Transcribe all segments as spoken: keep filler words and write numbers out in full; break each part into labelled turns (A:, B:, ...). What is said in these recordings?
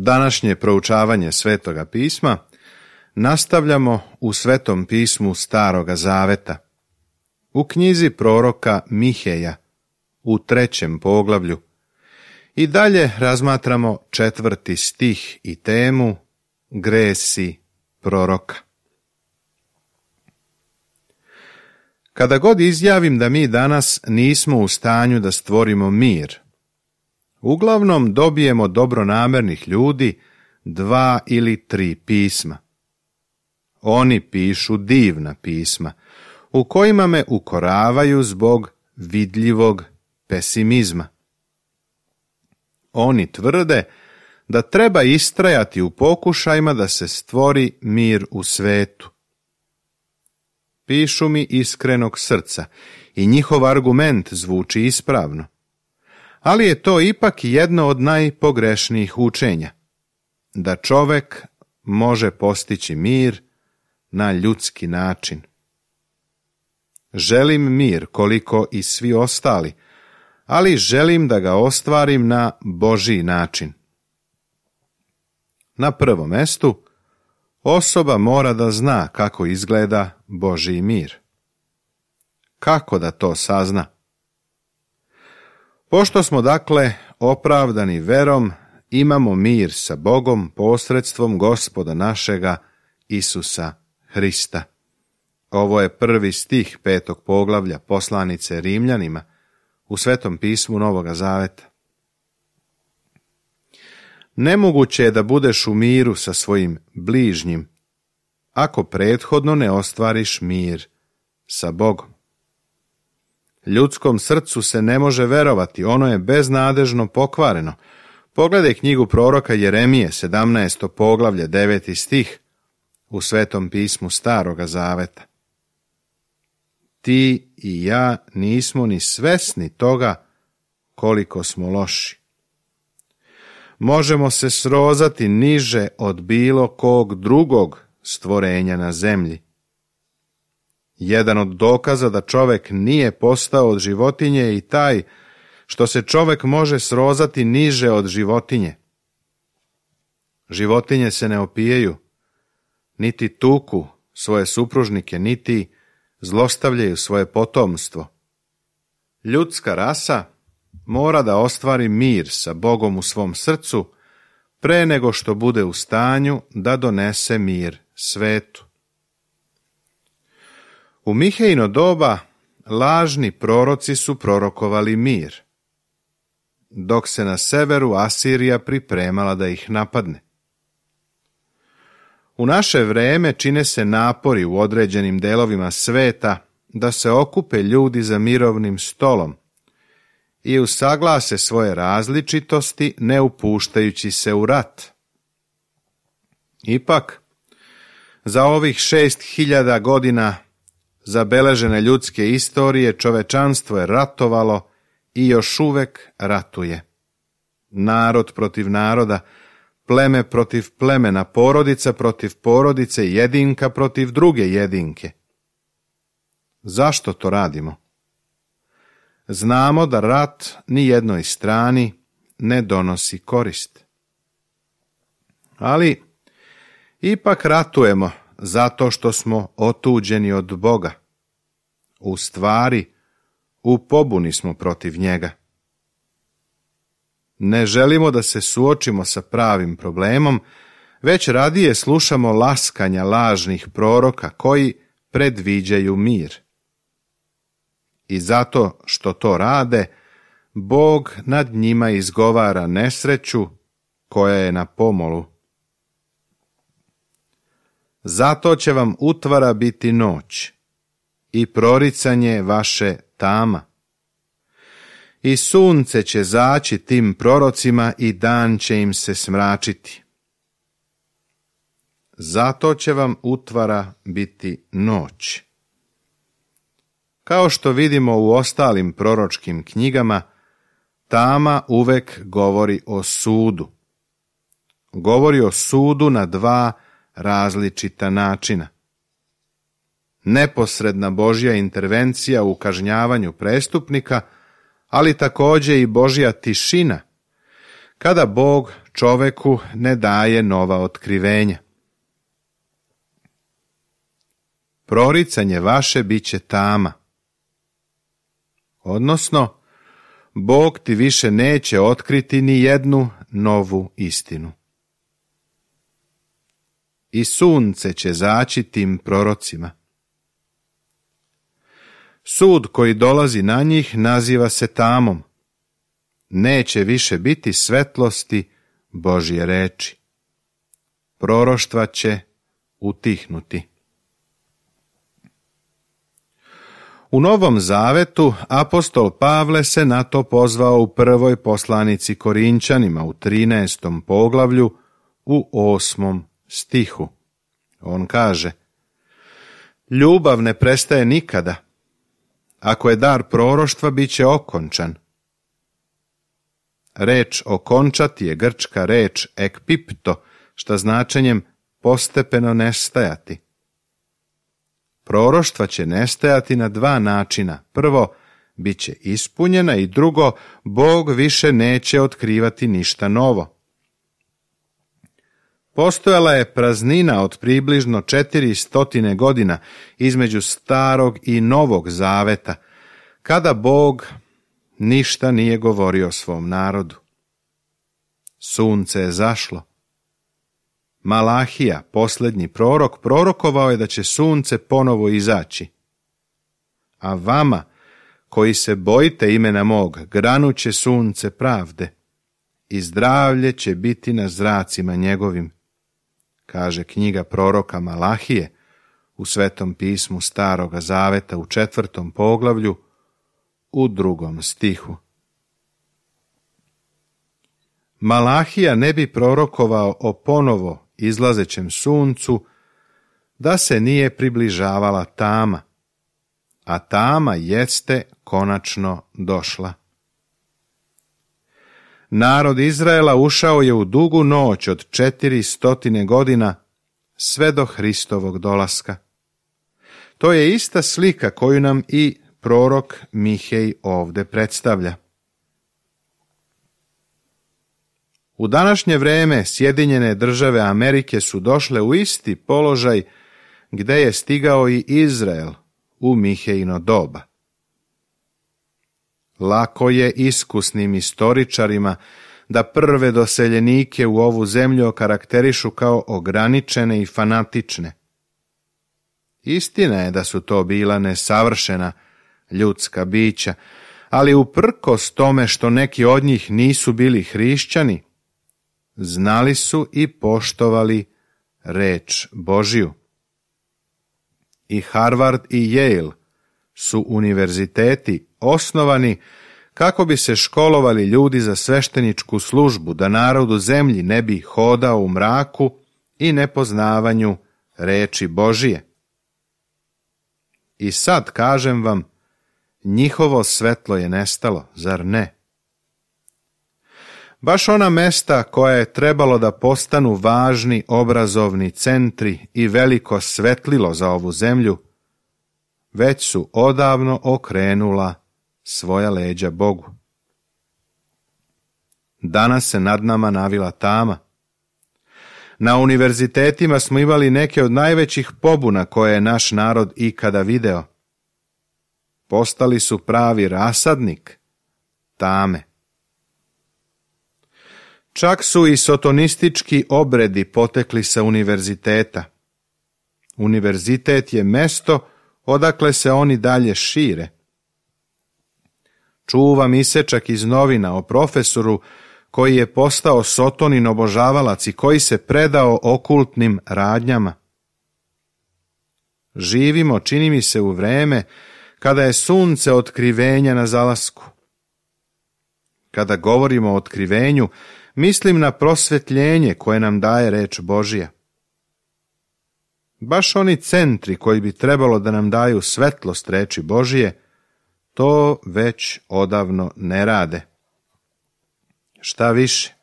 A: Današnje proučavanje Svetoga pisma nastavljamo u Svetom pismu Staroga Zaveta, u knjizi proroka Miheja, u trećem poglavlju, i dalje razmatramo četvrti stih i temu Gresi proroka. Kada god izjavim da mi danas nismo u stanju da stvorimo mir, uglavnom dobijemo dobronamernih ljudi dva ili tri pisma. Oni pišu divna pisma, u kojima me ukoravaju zbog vidljivog pesimizma. Oni tvrde da treba istrajati u pokušajima da se stvori mir u svetu. Pišu mi iskrenog srca i njihov argument zvuči ispravno. Ali je to ipak jedno od najpogrešnijih učenja, da čovek može postići mir na ljudski način. Želim mir koliko i svi ostali, ali želim da ga ostvarim na Božji način. Na prvom mestu, osoba mora da zna kako izgleda Božji mir. Kako da to sazna? Pošto smo dakle opravdani verom, imamo mir sa Bogom posredstvom Gospoda našega Isusa Hrista. Ovo je prvi stih petog poglavlja poslanice Rimljanima u Svetom pismu Novoga Zaveta. Nemoguće je da budeš u miru sa svojim bližnjim, ako prethodno ne ostvariš mir sa Bogom. Ljudskom srcu se ne može verovati, ono je beznadežno pokvareno. Pogledaj knjigu proroka Jeremije, sedamnaesto poglavlje, deveti stih, u Svetom pismu Staroga Zaveta. Ti i ja nismo ni svesni toga koliko smo loši. Možemo se srozati niže od bilo kog drugog stvorenja na zemlji. Jedan od dokaza da čovek nije postao od životinje je i taj što se čovek može srozati niže od životinje. Životinje se ne opijaju, niti tuku svoje supružnike, niti zlostavljaju svoje potomstvo. Ljudska rasa mora da ostvari mir sa Bogom u svom srcu pre nego što bude u stanju da donese mir svetu. U Mihejino doba lažni proroci su prorokovali mir, dok se na severu Asirija pripremala da ih napadne. U naše vreme čine se napori u određenim delovima sveta da se okupe ljudi za mirovnim stolom i usaglase svoje različitosti ne upuštajući se u rat. Ipak, za ovih šest hiljada godina zabeležene ljudske istorije čovečanstvo je ratovalo i još uvek ratuje. Narod protiv naroda, pleme protiv plemena, porodica protiv porodice, jedinka protiv druge jedinke. Zašto to radimo? Znamo da rat ni jednoj strani ne donosi korist. Ali ipak ratujemo zato što smo otuđeni od Boga. U stvari, u pobuni smo protiv njega. Ne želimo da se suočimo sa pravim problemom, već radije slušamo laskanja lažnih proroka koji predviđaju mir. I zato što to rade, Bog nad njima izgovara nesreću koja je na pomolu. Zato će vam utvara biti noć i proricanje vaše tama. I sunce će zaći tim prorocima i dan će im se smračiti. Zato će vam utvara biti noć. Kao što vidimo u ostalim proročkim knjigama, tama uvek govori o sudu. Govori o sudu na dva različita načina. Neposredna Božja intervencija u kažnjavanju prestupnika, ali također i Božja tišina, kada Bog čoveku ne daje nova otkrivenja. Proricanje vaše bit će tama. Odnosno, Bog ti više neće otkriti ni jednu novu istinu. I sunce će zaći tim prorocima. Sud koji dolazi na njih naziva se tamom. Neće više biti svetlosti Božje reči. Proroštva će utihnuti. U Novom Zavetu apostol Pavle se na to pozvao u prvoj poslanici Korinćanima u trinaestom poglavlju u osmom stihu. On kaže: ljubav ne prestaje nikada. Ako je dar proroštva, bit će okončan. Reč okončati je grčka reč ekpipto, šta značenjem postepeno nestajati. Proroštva će nestajati na dva načina. Prvo, bit će ispunjena, i drugo, Bog više neće otkrivati ništa novo. Postojala je praznina od približno četiri stotine godina između starog i novog zaveta, kada Bog ništa nije govorio svom narodu. Sunce je zašlo. Malahija, posljednji prorok, prorokovao je da će sunce ponovo izaći. A vama, koji se bojite imena mog, granuće sunce pravde i zdravlje će biti na zracima njegovim, kaže knjiga proroka Malahije u Svetom pismu Staroga Zaveta u četvrtom poglavlju u drugom stihu. Malahija ne bi prorokovao o ponovo izlazećem suncu da se nije približavala tama, a tama jeste konačno došla. Narod Izraela ušao je u dugu noć od četiri stotine godina sve do Hristovog dolaska. To je ista slika koju nam i prorok Mihej ovdje predstavlja. U današnje vrijeme Sjedinjene države Amerike su došle u isti položaj gdje je stigao i Izrael u Mihejino doba. Lako je iskusnim istoričarima da prve doseljenike u ovu zemlju okarakterišu kao ograničene i fanatične. Istina je da su to bila nesavršena ljudska bića, ali uprkos tome što neki od njih nisu bili hrišćani, znali su i poštovali reč Božju. I Harvard i Yale su univerziteti osnovani kako bi se školovali ljudi za svešteničku službu, da narod u zemlji ne bi hodao u mraku i nepoznavanju reči Božije. I sad kažem vam, njihovo svetlo je nestalo, zar ne? Baš ona mesta koja je trebalo da postanu važni obrazovni centri i veliko svetlilo za ovu zemlju, već su odavno okrenula svoja leđa Bogu. Danas se nad nama navila tama. Na univerzitetima smo imali neke od najvećih pobuna koje je naš narod ikada video. Postali su pravi rasadnik tame. Čak su i sotonistički obredi potekli sa univerziteta. Univerzitet je mesto odakle se oni dalje šire. Čuvam isečak iz novina o profesoru koji je postao sotonin obožavalac i koji se predao okultnim radnjama. Živimo, čini mi se, u vreme kada je sunce otkrivenja na zalasku. Kada govorimo o otkrivenju, mislim na prosvetljenje koje nam daje reč Božja. Baš oni centri koji bi trebalo da nam daju svetlost reči Božije, to već odavno ne rade. Šta više,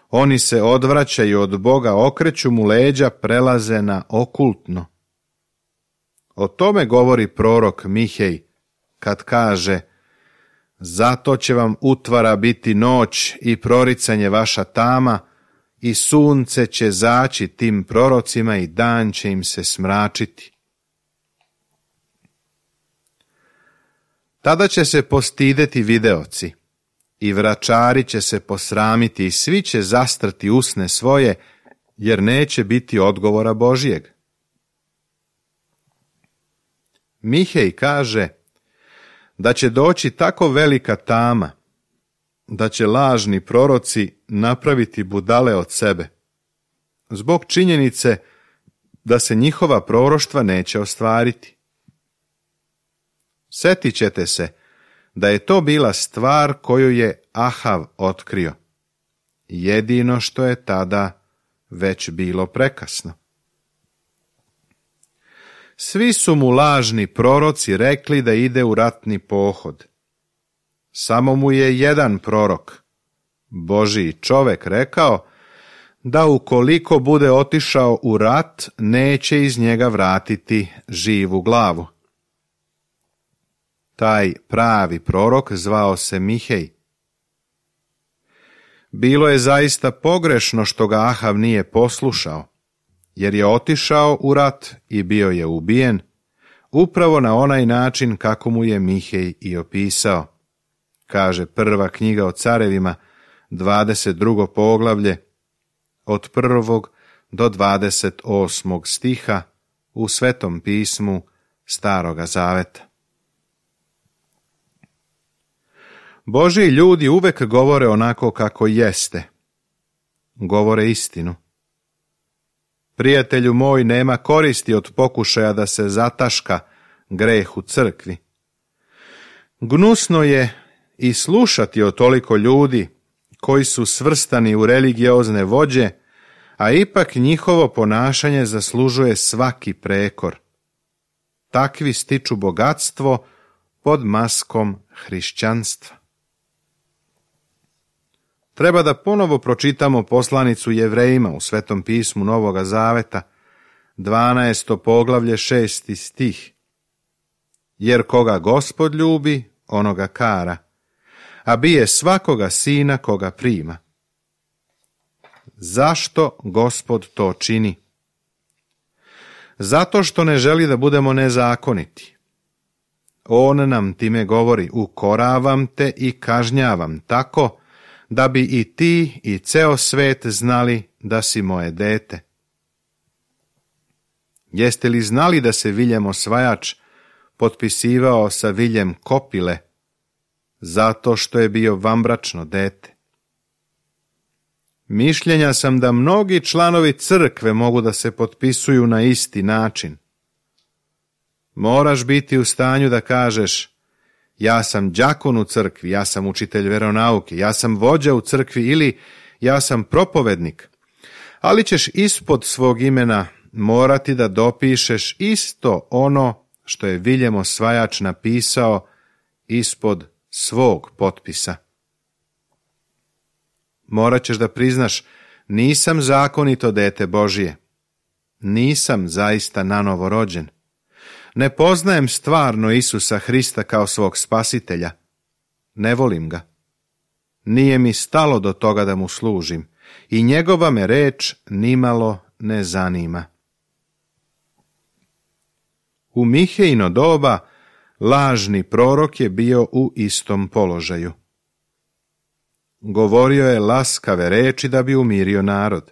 A: oni se odvraćaju od Boga, okreću mu leđa, prelaze na okultno. O tome govori prorok Mihej kad kaže: Zato će vam utvara biti noć i proricanje vaša tama, i sunce će zaći tim prorocima i dan će im se smračiti. Tada će se postideti videoci i vračari će se posramiti i svi će zastrti usne svoje, jer neće biti odgovora Božijeg. Mihej kaže da će doći tako velika tama, da će lažni proroci napraviti budale od sebe, zbog činjenice da se njihova proroštva neće ostvariti. Sjetit ćete se da je to bila stvar koju je Ahav otkrio, jedino što je tada već bilo prekasno. Svi su mu lažni proroci rekli da ide u ratni pohod. Samo mu je jedan prorok, Božji čovek, rekao da ukoliko bude otišao u rat, neće iz njega vratiti živu glavu. Taj pravi prorok zvao se Mihej. Bilo je zaista pogrešno što ga Ahav nije poslušao, jer je otišao u rat i bio je ubijen, upravo na onaj način kako mu je Mihej i opisao. Kaže prva knjiga o carevima, dvadeset drugo poglavlje, od prvog do dvadeset osmog stiha u Svetom pismu Staroga zaveta. Božji ljudi uvek govore onako kako jeste. Govore istinu. Prijatelju moj, nema koristi od pokušaja da se zataška greh u crkvi. Gnusno je i slušati o toliko ljudi koji su svrstani u religiozne vođe, a ipak njihovo ponašanje zaslužuje svaki prekor. Takvi stiču bogatstvo pod maskom hrišćanstva. Treba da ponovo pročitamo poslanicu Jevrejima u Svetom pismu Novoga Zaveta, dvanaesto poglavlje, šesti stih. Jer koga Gospod ljubi, onoga kara, a bije svakoga sina koga prima. Zašto Gospod to čini? Zato što ne želi da budemo nezakoniti. On nam time govori, ukoravam te i kažnjavam tako, da bi i ti i ceo svet znali da si moje dete. Jeste li znali da se Viljem Osvajač potpisivao sa Viljem Kopile, zato što je bio vanbračno dete? Mišljenja sam da mnogi članovi crkve mogu da se potpisuju na isti način. Moraš biti u stanju da kažeš, ja sam đakon u crkvi, ja sam učitelj veronauke, ja sam vođa u crkvi ili ja sam propovednik, ali ćeš ispod svog imena morati da dopišeš isto ono što je Viljem Osvajač napisao ispod svog potpisa. Morat ćeš da priznaš, nisam zakonito dete Božije, nisam zaista nanovo rođen. Ne poznajem stvarno Isusa Hrista kao svog spasitelja. Ne volim ga. Nije mi stalo do toga da mu služim i njegova me reč nimalo ne zanima. U Mihejino doba lažni prorok je bio u istom položaju. Govorio je laskave reči da bi umirio narod.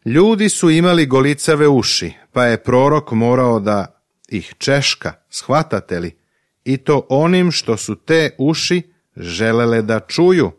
A: Ljudi su imali golicave uši, pa je prorok morao da ih češka, shvatate li, i to onim što su te uši želele da čuju.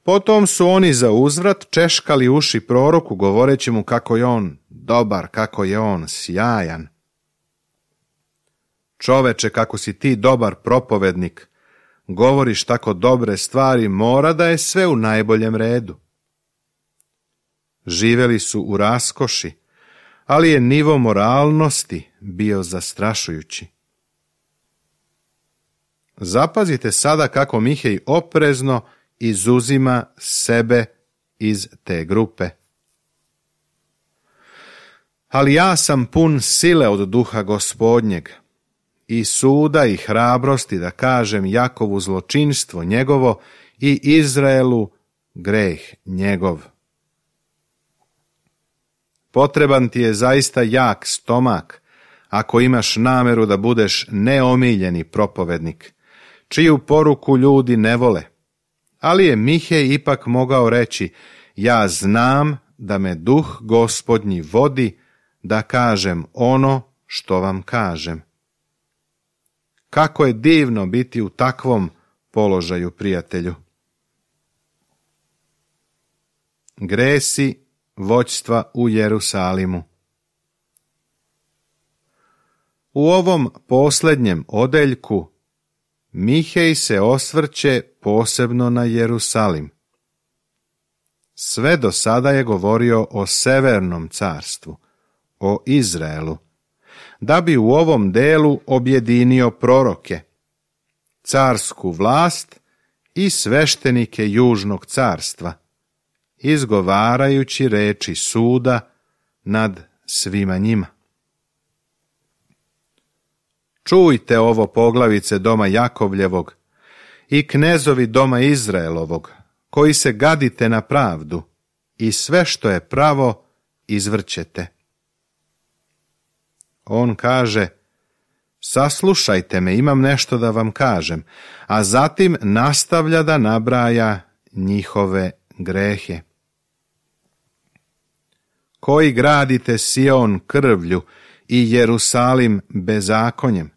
A: Potom su oni za uzvrat češkali uši proroku, govoreći mu kako je on dobar, kako je on sjajan. Čoveče, kako si ti dobar propovednik, govoriš tako dobre stvari, mora da je sve u najboljem redu. Živeli su u raskoši, ali je nivo moralnosti bio zastrašujući. Zapazite sada kako Mihej oprezno izuzima sebe iz te grupe. Ali ja sam pun sile od duha Gospodnjeg, i suda i hrabrosti da kažem Jakovu zločinstvo njegovo i Izraelu greh njegov. Potreban ti je zaista jak stomak ako imaš nameru da budeš neomiljeni propovednik, čiju poruku ljudi ne vole. Ali je Mihej ipak mogao reći, ja znam da me duh Gospodnji vodi da kažem ono što vam kažem. Kako je divno biti u takvom položaju, prijatelju. Gresi vođstva u Jerusalimu. U ovom posljednjem odeljku Mihej se osvrće posebno na Jerusalim. Sve do sada je govorio o severnom carstvu, o Izraelu, da bi u ovom delu objedinio proroke, carsku vlast i sveštenike južnog carstva, izgovarajući reči suda nad svima njima. Čujte ovo, poglavice doma Jakovljevog i knezovi doma Izraelovog, koji se gadite na pravdu i sve što je pravo izvrćete. On kaže, saslušajte me, imam nešto da vam kažem, a zatim nastavlja da nabraja njihove grehe. Koji gradite Sion krvlju i Jerusalim bezakonjem?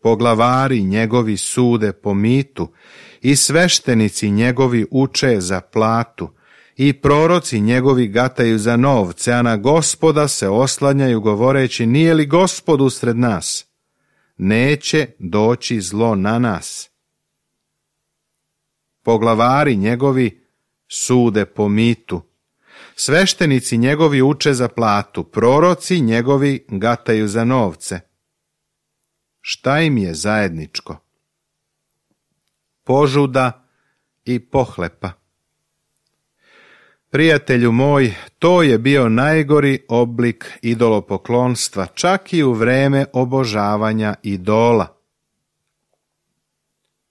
A: Poglavari njegovi sude po mitu i sveštenici njegovi uče za platu i proroci njegovi gataju za novce, a na Gospoda se oslanjaju govoreći, nije li Gospod usred nas? Neće doći zlo na nas. Poglavari njegovi sude po mitu, sveštenici njegovi uče za platu, proroci njegovi gataju za novce. Šta im je zajedničko? Požuda i pohlepa. Prijatelju moj, to je bio najgori oblik idolopoklonstva, čak i u vreme obožavanja idola.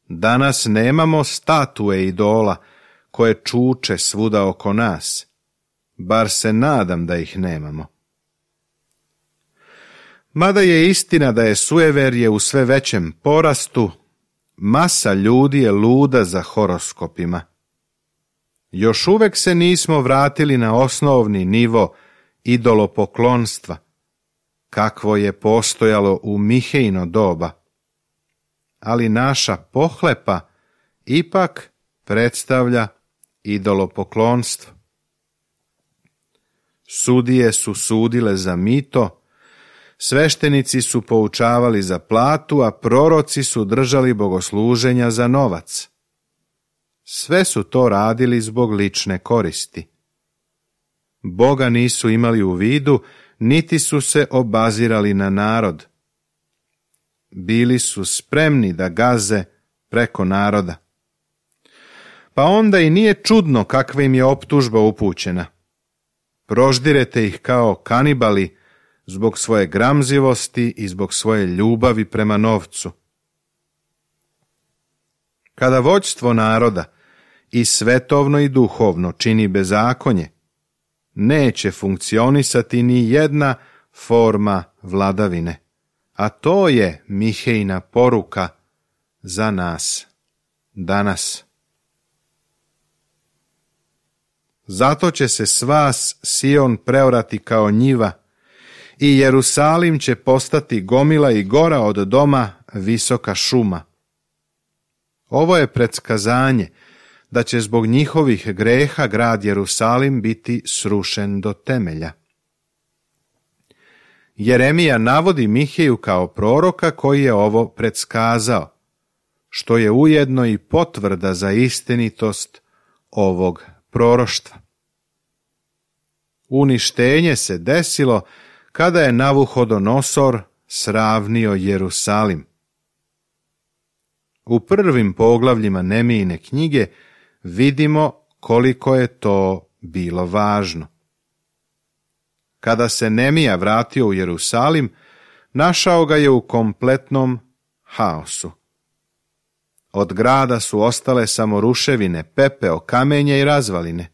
A: Danas nemamo statue idola koje čuče svuda oko nas, bar se nadam da ih nemamo. Mada je istina da je sujeverje u sve većem porastu, masa ljudi je luda za horoskopima. Još uvek se nismo vratili na osnovni nivo idolopoklonstva, kakvo je postojalo u Mihejino doba. Ali naša pohlepa ipak predstavlja idolopoklonstvo. Sudije su sudile za mito, sveštenici su poučavali za platu, a proroci su držali bogosluženja za novac. Sve su to radili zbog lične koristi. Boga nisu imali u vidu, niti su se obazirali na narod. Bili su spremni da gaze preko naroda. Pa onda i nije čudno kakva im je optužba upućena. Proždirete ih kao kanibali zbog svoje gramzivosti i zbog svoje ljubavi prema novcu. Kada vođstvo naroda i svetovno i duhovno čini bezakonje, neće funkcionisati ni jedna forma vladavine, a to je Mihejina poruka za nas danas. Zato će se s vas Sion preorati kao njiva i Jerusalim će postati gomila i gora od doma visoka šuma. Ovo je predskazanje da će zbog njihovih greha grad Jerusalim biti srušen do temelja. Jeremija navodi Miheju kao proroka koji je ovo predskazao, što je ujedno i potvrda za istinitost ovog proroštva. Uništenje se desilo kada je Navuhodonosor sravnio Jerusalim. U prvim poglavljima Nemijine knjige vidimo koliko je to bilo važno. Kada se Nemija vratio u Jerusalim, našao ga je u kompletnom haosu. Od grada su ostale samo ruševine, pepeo, kamenje i razvaline.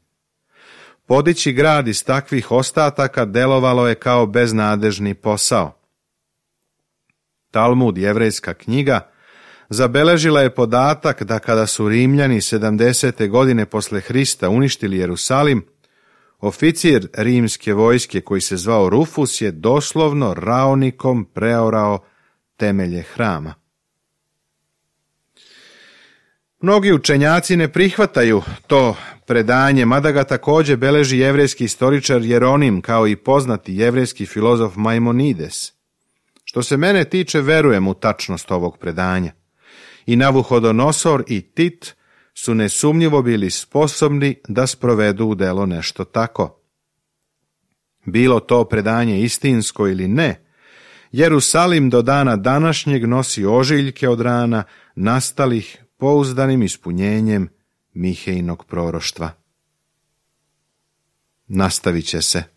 A: Podići grad iz takvih ostataka delovalo je kao beznadežni posao. Talmud, jevrejska knjiga, zabeležila je podatak da kada su Rimljani sedamdesete godine posle Hrista uništili Jerusalim, oficir rimske vojske koji se zvao Rufus je doslovno raonikom preorao temelje hrama. Mnogi učenjaci ne prihvataju to predanje, mada ga također beleži jevrejski istoričar Jeronim kao i poznati jevrejski filozof Maimonides. Što se mene tiče, verujem u tačnost ovog predanja. I Navuhodonosor i Tit su nesumnjivo bili sposobni da sprovedu u delo nešto tako. Bilo to predanje istinsko ili ne, Jerusalim do dana današnjeg nosi ožiljke od rana nastalih pouzdanim ispunjenjem Mihejnog proroštva. Nastavit će se.